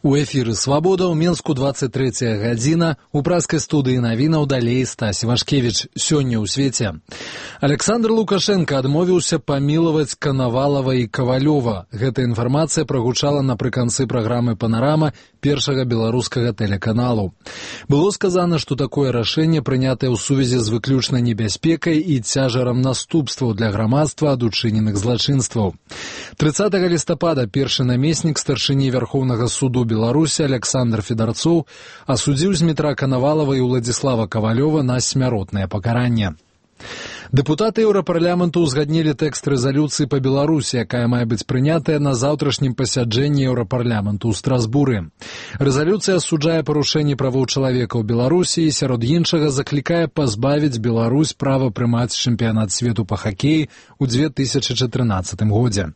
У эфіры «Свабода» ў Менску 23 гадзіна. У праскай студыі навінаў далей Стась Вашкевіч. Сёння ў свеце. Александр Лукашенко адмовіўся памілаваць Канавалова і Кавалёва. Гэта інфармацыя прагучала напрыканцы праграмы «Панарама» першага беларускага тэлеканалу. Было сказана, што такое рашэнне прынятае ў сувязі з выключнай небяспекай і цяжарам наступстваў для грамадства ад учыненых злачынстваў. 30 лістапада першы намеснік старшыні Вярхоўнага суду Беларусі Александр Федарцоў асудзіў Змітра Канавалова і Уладзіслава Кавалёва на смяротнае пакаранне. Дэпутаты Еўрапарламенту ўзгаднілі тэкст рэзалюцыі па Беларусі, якая мае быць прынятая на заўтрашнім пасяджэнні Еўрапарламенту ў Страсбуры. Рэзалюцыя асуджае парушэнні правоў чалавека ў Беларусі і сярод іншага заклікае пазбавіць Беларусь права прымаць чэмпіянат свету па хакеі ў 2013 годзе.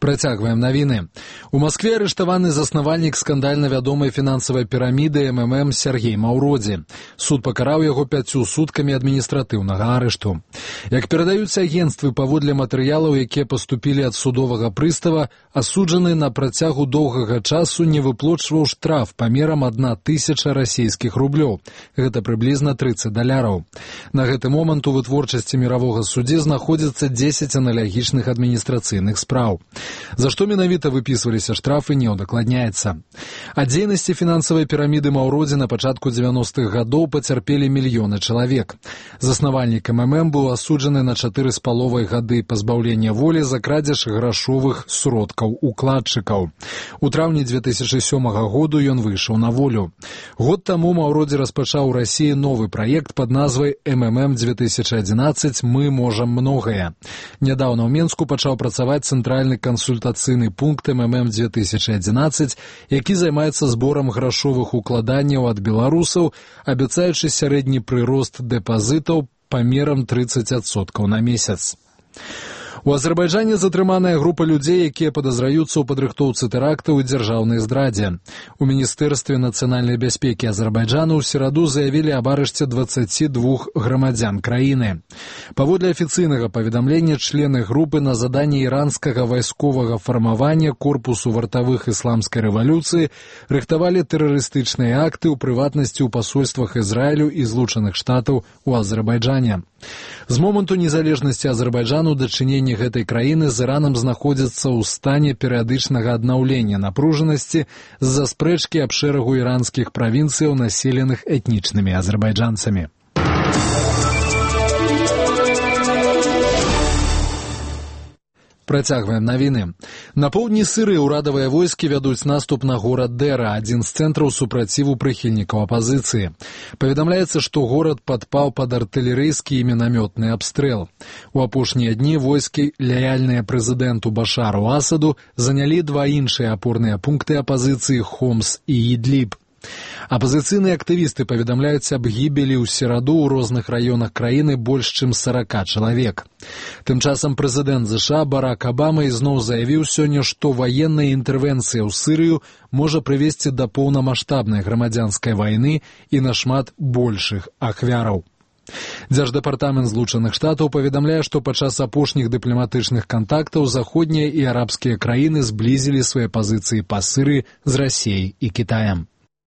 Працягваем навіны. У Маскве арыштаваны заснавальнік скандальна вядомай фінансавай піраміды МММ Сергей Маўродзі. Суд пакараў яго 5 суткамі адміністратыўнага арышту. Як перадаюць агенцтвы, паводле матэрыялаў, якія паступілі ад судовага прыстава, асуджаны на працягу доўгага часу не выплочваў штраф памерам 1000 расійскіх рублёў. Гэта прыблізна $30. На гэты момант у вытворчасці міравога суддзі знаходзіцца 10 аналагічных адміністрацыйных спраў. За што менавіта выпісваліся штрафы, не ўдакладняецца. Ад дзейнасці фінансавай піраміды Маўродзі на пачатку 90-х гадоў пацярпелі мільёны чалавек. Заснавальнік МММ быў асуджаны на 4,5 гады пазбаўлення волі за крадзеж грашовых сродкаў укладчыкаў. У траўні 2007 году ён выйшаў на волю. Год таму Маўродзі распачаў у Расіі новы праект пад назвай МММ 2011 «Мы можам многае». Нядаўна ў Менску пачаў працаваць цэнтральны кансультацыйны пункт МММ 2011, які займаецца зборам грашовых укладанняў ад беларусаў, абяцаючы сярэдні прырост дэпазітаў памерам 30% на месяц. У Азербайджане затрыманая група людзей, якія падазраюцца ў падрыхтоўцы тэрактаў і дзяржаўнай здрадзе. У Міністэрстве нацыянальнай бяспекі Азербайджану ў сераду заявілі аб арышце 22 грамадзян краіны. Паводле афіцыйнага паведамлення, члены групы на заданні іранскага вайсковага фармавання корпусу вартавых ісламскай рэвалюцыі рыхтавалі тэрарыстычныя акты, у прыватнасці ў пасольствах Ізраілю і Злучаных Штатаў у Азербайджане. З моманту незалежнасці Азербайджану дачыненні гэтай краіны з Іранам знаходзяцца ў стане перыядычнага аднаўлення напружанасці з-за спрэчкі аб шэрагу іранскіх правінцыяў, населеных этнічнымі азербайджанцамі. Працягваем навіны. На поўдні Сірыі ўрадавыя войскі вядуць наступ на горад Дэра, адзін з цэнтраў супраціву прыхільнікаў апазіцыі. Паведамляецца, што горад падпаў пад артылерыйскі і мінамётны абстрэл. У апошнія дні войскі, лаяльныя прэзідэнту Башару Асаду, занялі 2 іншыя апорныя пункты апазіцыі Хомс і Ідліб. Апазіцыйныя актывісты паведамляюць аб гібелі ў сераду ў розных раёнах краіны больш чым 40 чалавек. Тым часам прэзідэнт ЗША Барак Абама ізноў заявіў сёння, што ваенная інтэрвенцыя ў Сірыю можа прывесці да поўнамаштабнай грамадзянскай вайны і нашмат большых ахвяраў. Дзярждэпартамент Злучаных Штатаў паведамляе, што падчас апошніх дыпламатычных кантактаў заходнія і арабскія краіны зблізілі свае пазіцыі па Сірыі з Расіяй і Кітаем.